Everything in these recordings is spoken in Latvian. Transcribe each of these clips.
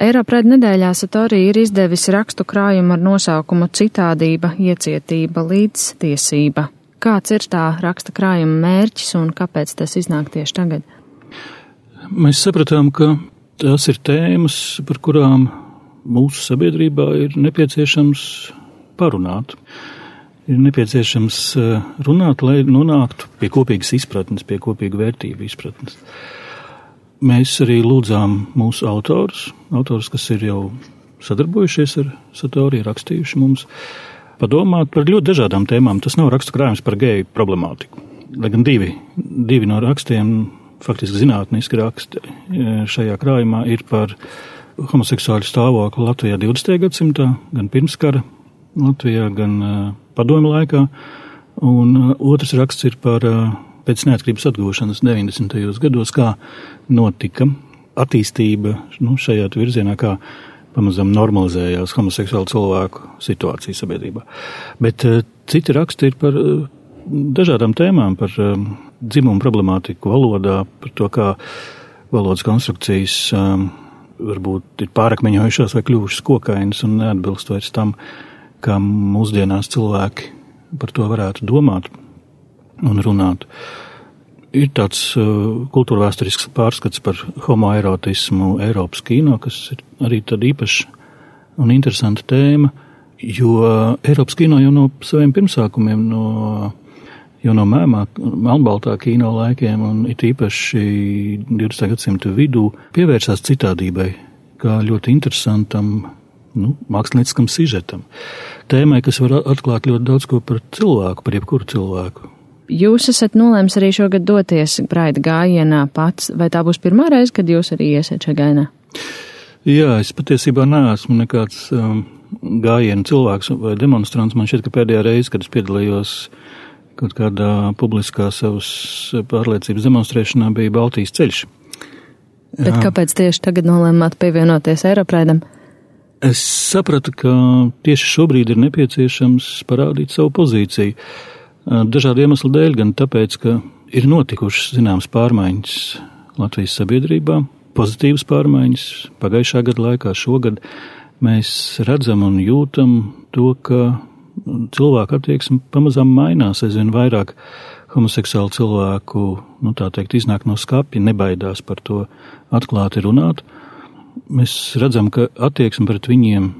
Eiropride nedēļā Satori ir izdevis rakstu krājumu ar nosaukumu Citādība, iecietība, līdztiesība. Kāds ir tā raksta krājuma mērķis un kāpēc tas iznāk tieši tagad? Mēs sapratām, ka tās ir tēmas, par kurām mūsu sabiedrībā ir nepieciešams parunāt. Ir nepieciešams runāt, lai nonāktu pie kopīgas izpratnes, pie kopīga vērtību izpratnes. Mēs arī lūdzām mūsu autors, kas ir jau sadarbojušies ar Satori, rakstījuši mums, padomāt par ļoti dažādām tēmām. Tas nav rakstu krājums par geju problemātiku. Lai gan divi no rakstiem, faktiski zinātniski raksti šajā krājumā, ir par homoseksuāļu stāvokli Latvijā 20. gadsimtā, gan pirmskara Latvijā, gan padomju laikā, un otrs raksts ir par pēc neatkarības atgūšanas 90. gados, kā notika attīstība šajā virzienā, kā pamazām normalizējās homoseksuālu cilvēku situācija sabiedrībā. Bet citi raksti ir par dažādām tēmām, par dzimumu problemātiku valodā, par to, kā valodas konstrukcijas varbūt ir pārakmeņojušās vai kļuvušas kokainas un neatbilst vairs tam, kā mūsdienās cilvēki par to varētu domāt un runāt. Ir tāds kultūrvēsturisks pārskats par homoerotismu Eiropas kino, kas ir arī tāda īpaša un interesanta tēma, jo Eiropas kino jau no saviem pirmsākumiem, jau no melnbaltā kino laikiem un it īpaši 20. gadsimta vidū pievērsās citādībai, kā ļoti interesantam mākslinieckam sižetam. Tēmai, kas var atklāt ļoti daudz ko par cilvēku, par jebkuru cilvēku. Jūs esat nolēms arī šogad doties Pride gājienā pats, vai tā būs pirmā reize, kad jūs arī iesiet šajā gājienā? Jā, es patiesībā neesmu nekāds gājienu cilvēks vai demonstrants. Man šķiet, ka pēdējā reize, kad es piedalījos kaut kādā publiskā savas pārliecības demonstrēšanā, bija Baltijas ceļš. Jā. Bet kāpēc tieši tagad nolēmāt pievienoties Eiropraidam? Es sapratu, ka tieši šobrīd ir nepieciešams parādīt savu pozīciju. Dažādu iemeslu dēļ, gan tāpēc, ka ir notikušas zināmas pārmaiņas Latvijas sabiedrībā, pozitīvas pārmaiņas pagājušā gada laikā, šogad mēs redzam un jūtam to, ka cilvēku attieksme pamazām mainās, aizvien vairāk homoseksuālu cilvēku, tā teikt, iznāk no skapja, nebaidās par to atklāti runāt. Mēs redzam, ka attieksme pret viņiem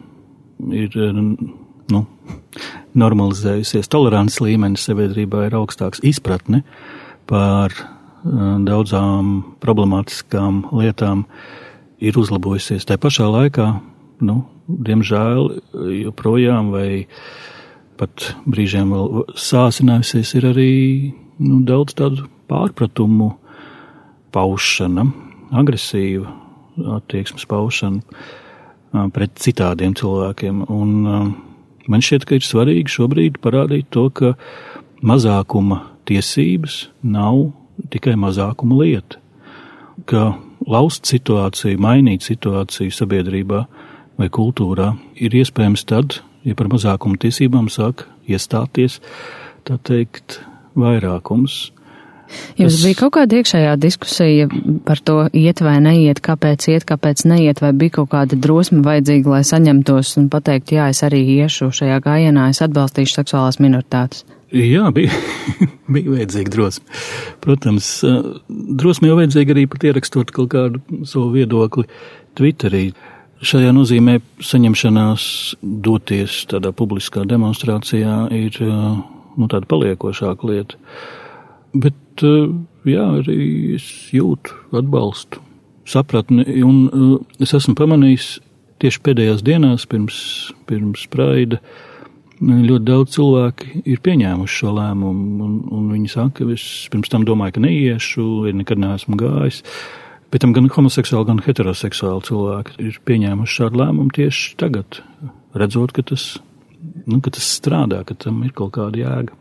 ir normalizējusies. Tolerants līmenis sabiedrībā ir augstāks, izpratne par daudzām problemātiskām lietām ir uzlabojusies. Tā pašā laikā, diemžēl, joprojām vai pat brīžiem vēl sāsinājusies ir arī daudz tādu pārpratumu paušana, agresīva attieksmes paušana pret citādiem cilvēkiem. Un man šķiet, ka ir svarīgi šobrīd parādīt to, ka mazākuma tiesības nav tikai mazākuma lieta. Ka laust situāciju, mainīt situāciju sabiedrībā vai kultūrā ir iespējams tad, ja par mazākuma tiesībām sāk iestāties, tā teikt, vairākums. Jums bija kaut kāda iekšējā diskusija par to iet vai neiet, kāpēc iet, kāpēc neiet, vai bija kaut kāda drosme vajadzīga, lai saņemtos un pateikt, jā, es arī iešu šajā gājienā, es atbalstīšu seksuālās minoritātes? Jā, bija vajadzīga drosme. Protams, drosme jau vajadzīga arī pat ierakstot kaut kādu savu viedokli Twitterī. Šajā nozīmē saņemšanās doties tādā publiskā demonstrācijā ir tāda paliekošāka lieta. Bet, jā, arī es jūtu atbalstu, sapratni, un es esmu pamanījis tieši pēdējās dienās pirms Praida ļoti daudz cilvēki ir pieņēmuši šo lēmumu, un viņi saka, ka es pirms tam domāju, ka neiešu, nekad neesmu gājis. Bet tam gan homoseksuāli, gan heteroseksuāli cilvēki ir pieņēmuši šādu lēmumu tieši tagad, redzot, ka tas strādā, ka tam ir kaut kāda jēga.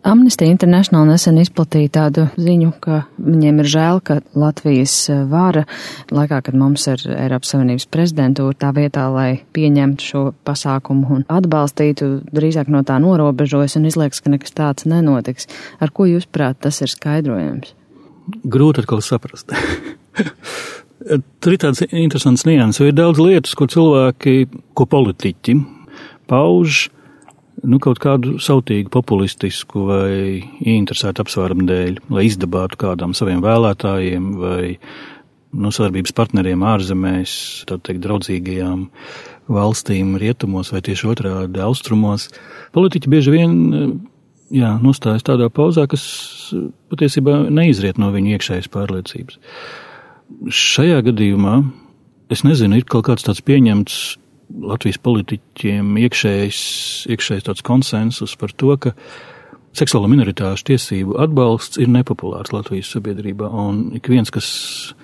Amnesty International nesen izplatīja tādu ziņu, ka viņiem ir žēl, ka Latvijas vara, laikā, kad mums ir Eiropas Savienības prezidentūra, tā vietā, lai pieņemtu šo pasākumu un atbalstītu, drīzāk no tā norobežojas un izliekas, ka nekas tāds nenotiks. Ar ko jūs prāt tas ir skaidrojams? Grūti atkal saprast. Tur ir tāds interesants nianses, jo ir daudz lietas, ko politiķi pauž, kaut kādu sautīgu, populistisku vai ieinteresētu apsvērumu dēļ, lai izdabātu kādām saviem vēlētājiem vai sadarbības partneriem ārzemēs, tā teikt, draudzīgajām valstīm rietumos vai tieši otrādi austrumos. Politiķi bieži vien nostājas tādā pauzā, kas patiesībā neizriet no viņu iekšējas pārliecības. Šajā gadījumā, es nezinu, ir kaut kāds tāds pieņemts Latvijas politiķiem iekšējs tāds konsensus par to, ka seksuālo minoritāšu tiesību atbalsts ir nepopulārs Latvijas sabiedrībā, un ik viens, kas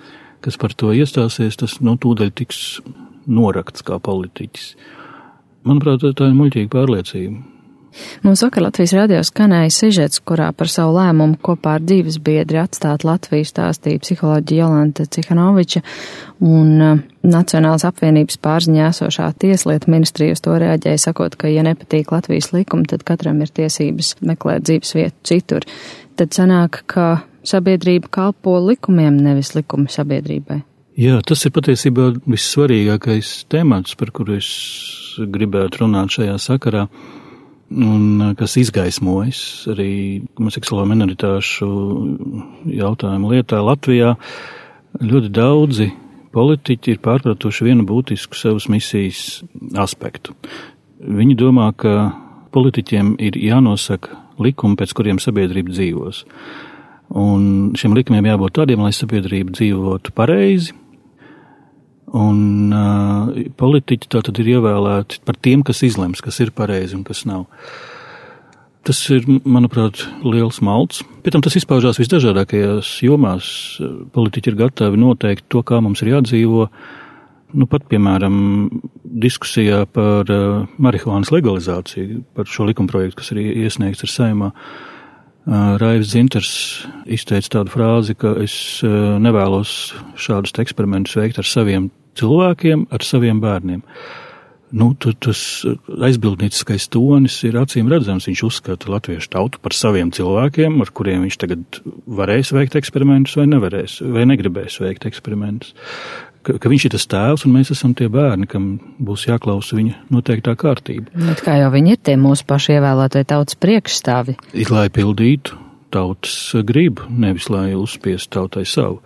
par to iestāsies, tas tūdaļ tiks norakts kā politiķis. Manuprāt, tā ir muļķīga pārliecība. Mums vakar Latvijas radio skanēja sižets, kurā par savu lēmumu kopā ar dzīves biedri atstāt Latviju stāstīja psiholoģija Jolanta Cihanoviča, un Nacionālās apvienības pārziņā esošā tieslietu ministrija uz to reaģēja, sakot, ka, ja nepatīk Latvijas likumi, tad katram ir tiesības meklēt dzīves vietu citur. Tad sanāk, ka sabiedrība kalpo likumiem, nevis likumi sabiedrībai. Jā, tas ir patiesībā vissvarīgākais temats, par kuru es gribētu runāt šajā sakarā, un kas izgaismojas arī seksuālo minoritāšu jautājumu lietā Latvijā. Ļoti daudzi politiķi ir pārpratuši vienu būtisku savas misijas aspektu. Viņi domā, ka politiķiem ir jānosaka likumi, pēc kuriem sabiedrība dzīvos. Un šiem likumiem jābūt tādiem, lai sabiedrība dzīvotu pareizi. Un politiķi tātad ir ievēlēti par tiem, kas izlems, kas ir pareizi un kas nav. Tas ir, manuprāt, liels malds. Pēc tam tas izpaužās visdažādākajās jomās. Politiķi ir gatavi noteikt to, kā mums ir jādzīvo. Pat, piemēram, diskusijā par marihuānas legalizāciju, par šo likumprojektu, kas ir iesniegts ar Saeimā. Raivs Dzintars izteica tādu frāzi, ka es nevēlos šādus eksperimentus veikt ar saviem cilvēkiem, ar saviem bērniem. Tas aizbildnieciskais tonis ir acīm redzams. Viņš uzskata latviešu tautu par saviem cilvēkiem, ar kuriem viņš tagad varēs veikt eksperimentus vai nevarēs, vai negribēs veikt eksperimentus. Ka viņš ir tas tēvs un mēs esam tie bērni, kam būs jāklausa viņa noteiktā kārtība. Bet kā jau viņi ir tie mūsu paši ievēlētie tautas priekšstāvi? Ir, lai pildītu tautas gribu, nevis lai uzspiestu tautai savu.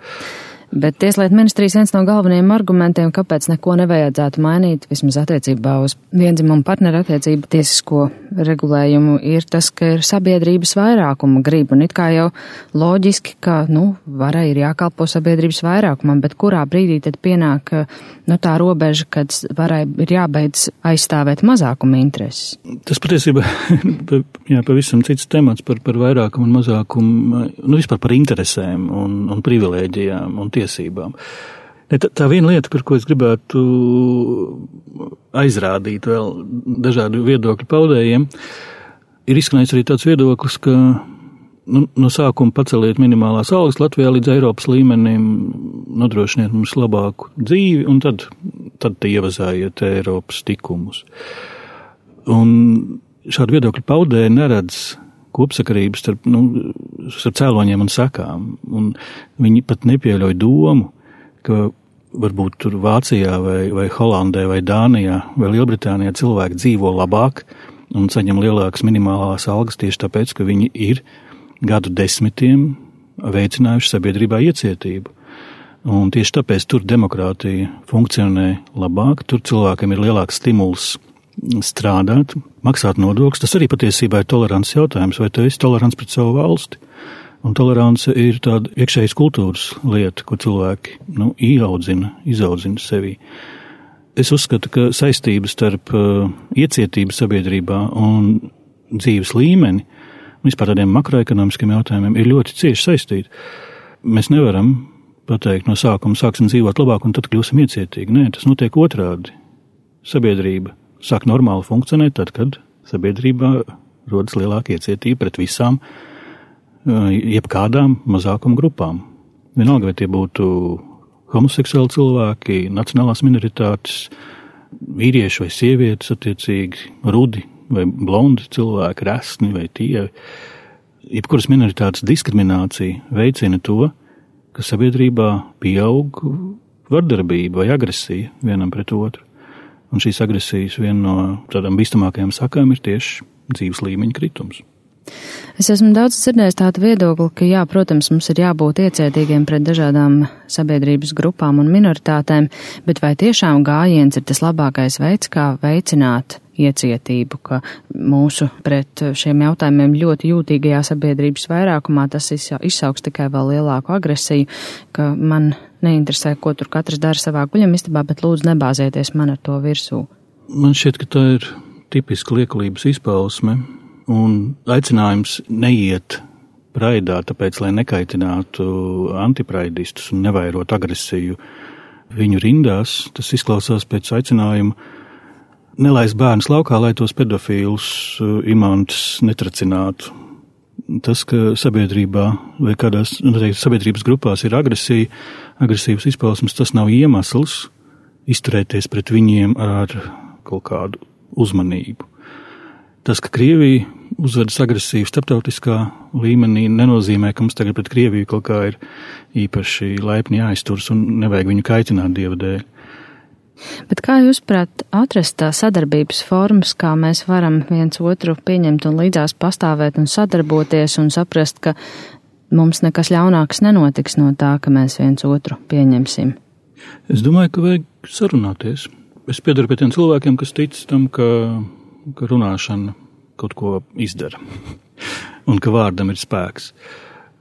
Bet Tieslietu ministrijas viens no galvenajiem argumentiem, kāpēc neko nevajadzētu mainīt, vismaz attiecībā uz viendzimumu partneru attiecību tiesisko regulējumu, ir tas, ka ir sabiedrības vairākuma griba. Un it kā jau loģiski, ka, varai ir jākalpo sabiedrības vairākumam, bet kurā brīdī tad pienāk, tā robeža, kad varai ir jābeidz aizstāvēt mazākuma intereses? Tas patiesībā pavisam cits temats par vairākumu un mazākumu, vispār par interesēm un privilēģijām un tiesībām. Tā viena lieta, par ko es gribētu aizrādīt vēl dažādu viedokļu paudējiem, ir izskanējis arī tāds viedoklis, ka no sākuma paceliet minimālās algas Latvijā līdz Eiropas līmenim, nodrošiniet mums labāku dzīvi, un tad ievazājiet Eiropas tikumus. Un šādu viedokļu paudēji neredz kopsakarības starp cēloņiem un sekām, un viņi pat nepieļauj domu, ka varbūt tur Vācijā vai Holandē vai Dānijā vai Lielbritānijā cilvēki dzīvo labāk un saņem lielākas minimālās algas tieši tāpēc, ka viņi ir gadu desmitiem veicinājuši sabiedrībā iecietību. Un tieši tāpēc tur demokrātija funkcionē labāk, tur cilvēkiem ir lielāks stimuls strādāt, maksāt nodokļus. Tas arī patiesībā ir tolerants jautājums, vai tu esi tolerants pret savu valsti. Un tolerance ir tāda iekšējas kultūras lieta, ko cilvēki izaudzina sevī. Es uzskatu, ka saistības starp iecietību sabiedrībā un dzīves līmeni, vispār tādiem makroekonomiskiem jautājumiem, ir ļoti cieši saistīti. Mēs nevaram pateikt no sākuma, sāksim dzīvot labāk un tad kļūsim iecietīgi. Nē, tas notiek otrādi. Sabiedrība sāk normāli funkcionēt tad, kad sabiedrībā rodas lielāka iecietība pret visām, jebkādām mazākuma grupām. Vienalga, vai tie būtu homoseksuāli cilvēki, nacionālās minoritātes, vīrieši vai sievietes, attiecīgi rudi vai blondi cilvēki, resni vai tievi. Jebkuras minoritātes diskriminācija veicina to, ka sabiedrībā pieaug vardarbība vai agresija vienam pret otru. Un šīs agresijas viena no tādām bīstamākajām sakām ir tieši dzīves līmeņa kritums. Es esmu daudz dzirdējis tādu viedokli, ka jā, protams, mums ir jābūt iecietīgiem pret dažādām sabiedrības grupām un minoritātēm, bet vai tiešām gājiens ir tas labākais veids, kā veicināt iecietību, ka mūsu pret šiem jautājumiem ļoti jūtīgajā sabiedrības vairākumā tas izsauks tikai vēl lielāku agresiju, ka man neinteresē, ko tur katrs dara savā guļamistabā, bet lūdzu nebāzieties man ar to virsū. Man šķiet, ka tā ir tipiska liekulības izpausme. Un aicinājums neiet praidā, tāpēc, lai nekaitinātu antipraidistus un nevairot agresiju viņu rindās, tas izklausās pēc aicinājuma nelaist bērnus laukā, lai tos pedofīlus imantus netracinātu. Tas, ka sabiedrībā vai kādās sabiedrības grupās ir agresīvas izpausmes, tas nav iemesls izturēties pret viņiem ar kaut kādu uzmanību. Tas, ka Krievija uzvedas agresīvi starptautiskā līmenī, nenozīmē, ka mums tagad pret Krieviju kaut kā ir īpaši laipni jāizturas un nevajag viņu kaitināt Dieva dēļ. Bet kā jūs prāt atrast tā sadarbības formas, kā mēs varam viens otru pieņemt un līdzās pastāvēt un sadarboties un saprast, ka mums nekas ļaunāks nenotiks no tā, ka mēs viens otru pieņemsim? Es domāju, ka vajag sarunāties. Es piedaru pie tiem cilvēkiem, kas tic tam, ka runāšana kaut ko izdara un ka vārdam ir spēks.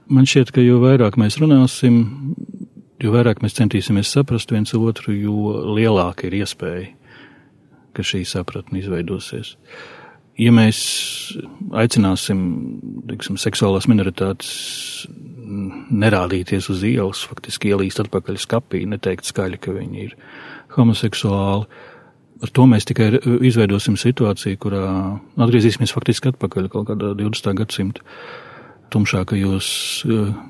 Man šķiet, ka jo vairāk mēs runāsim, jo vairāk mēs centīsimies saprast viens otru, jo lielāka ir iespēja, ka šī sapratne izveidosies. Ja mēs aicināsim, seksuālās minoritātes nerādīties uz ielas, faktiski ielīst atpakaļ skapī, neteikt skaļi, ka viņi ir homoseksuāli, ar to mēs tikai izveidosim situāciju, kurā atgriezīsimies faktiski atpakaļ kaut kādā 20. gadsimta tumšākajos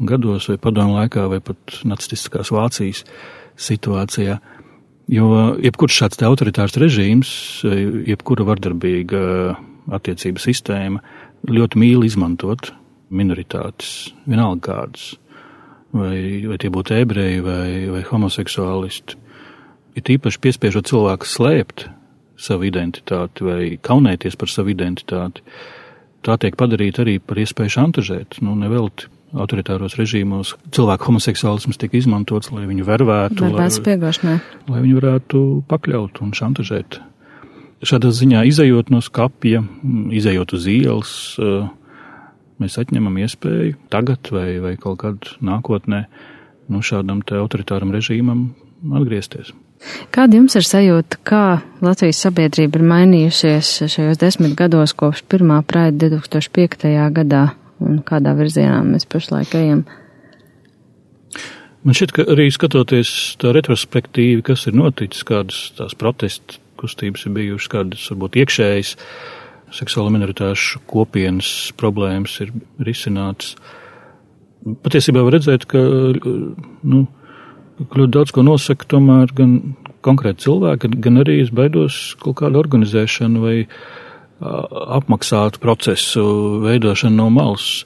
gados vai padomu laikā vai pat nacistiskās Vācijas situācijā. Jo jebkurš šāds autoritārs režīms, jebkura vardarbīga attiecība sistēma ļoti mīl izmantot minoritātes, vienalga kādas, vai tie būtu ebreji vai homoseksuālisti. Ir īpaši piespiežot cilvēku slēpt savu identitāti vai kaunēties par savu identitāti. Tā tiek padarīta arī par iespēju šantažēt. Nevelti autoritāros režīmos cilvēku homoseksuālisms tika izmantots, lai viņu vervētu, lai viņu varētu pakļaut un šantažēt. Šādā ziņā izejot no skapja, izejot uz ielas, mēs atņemam iespēju tagad vai kaut kad nākotnē šādam te autoritāram režīmam atgriezties. Kāda jums ir sajūta, kā Latvijas sabiedrība ir mainījusies šajos 10 gados kopš pirmā praida 2005. gadā un kādā virzienā mēs pašlaik ejam? Man šķiet, ka arī skatoties tā retrospektīvi, kas ir noticis, kādas tās protesta kustības ir bijušas, kādas varbūt iekšējas seksuālo minoritāšu kopienas problēmas ir risinātas. Patiesībā var redzēt, ka ļoti daudz ko nosaka tomēr gan konkrēti cilvēki, gan arī es baidos kaut kādu organizēšanu vai apmaksātu procesu veidošanu no malas.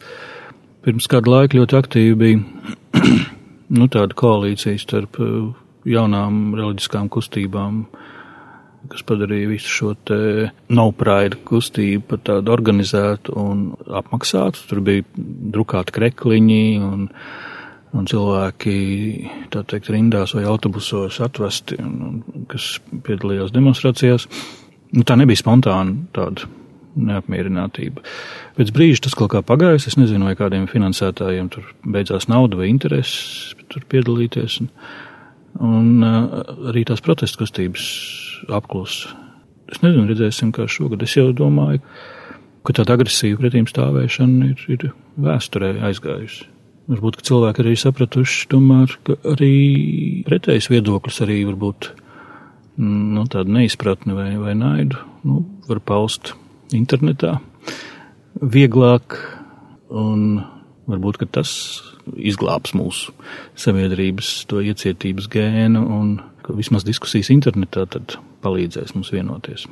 Pirms kādu laiku ļoti aktīvi bija tāda koalīcija starp jaunām reliģiskām kustībām, kas padarīja visu šo te No Pride kustību par tādu organizētu un apmaksātu. Tur bija drukāti krekliņi un cilvēki, tā teikt, rindās vai autobusos atvesti, kas piedalījās demonstrācijās. Tā nebija spontāna tāda neapmierinātība. Pēc brīža tas kaut kā pagājis, es nezinu, vai kādiem finansētājiem tur beidzās nauda vai intereses tur piedalīties. Un arī tās protesta kustības apklusa. Es nezinu, redzēsim, kā šogad. Es jau domāju, ka tāda agresīva pretīm stāvēšana ir vēsturē aizgājusi. Varbūt, ka cilvēki arī sapratuši, tomēr, ka arī pretējs viedoklis arī varbūt tāda neizpratne vai naidu var paust internetā vieglāk, un varbūt, ka tas izglābs mūsu sabiedrības to iecietības gēnu, un ka vismaz diskusijas internetā tad palīdzēs mums vienoties.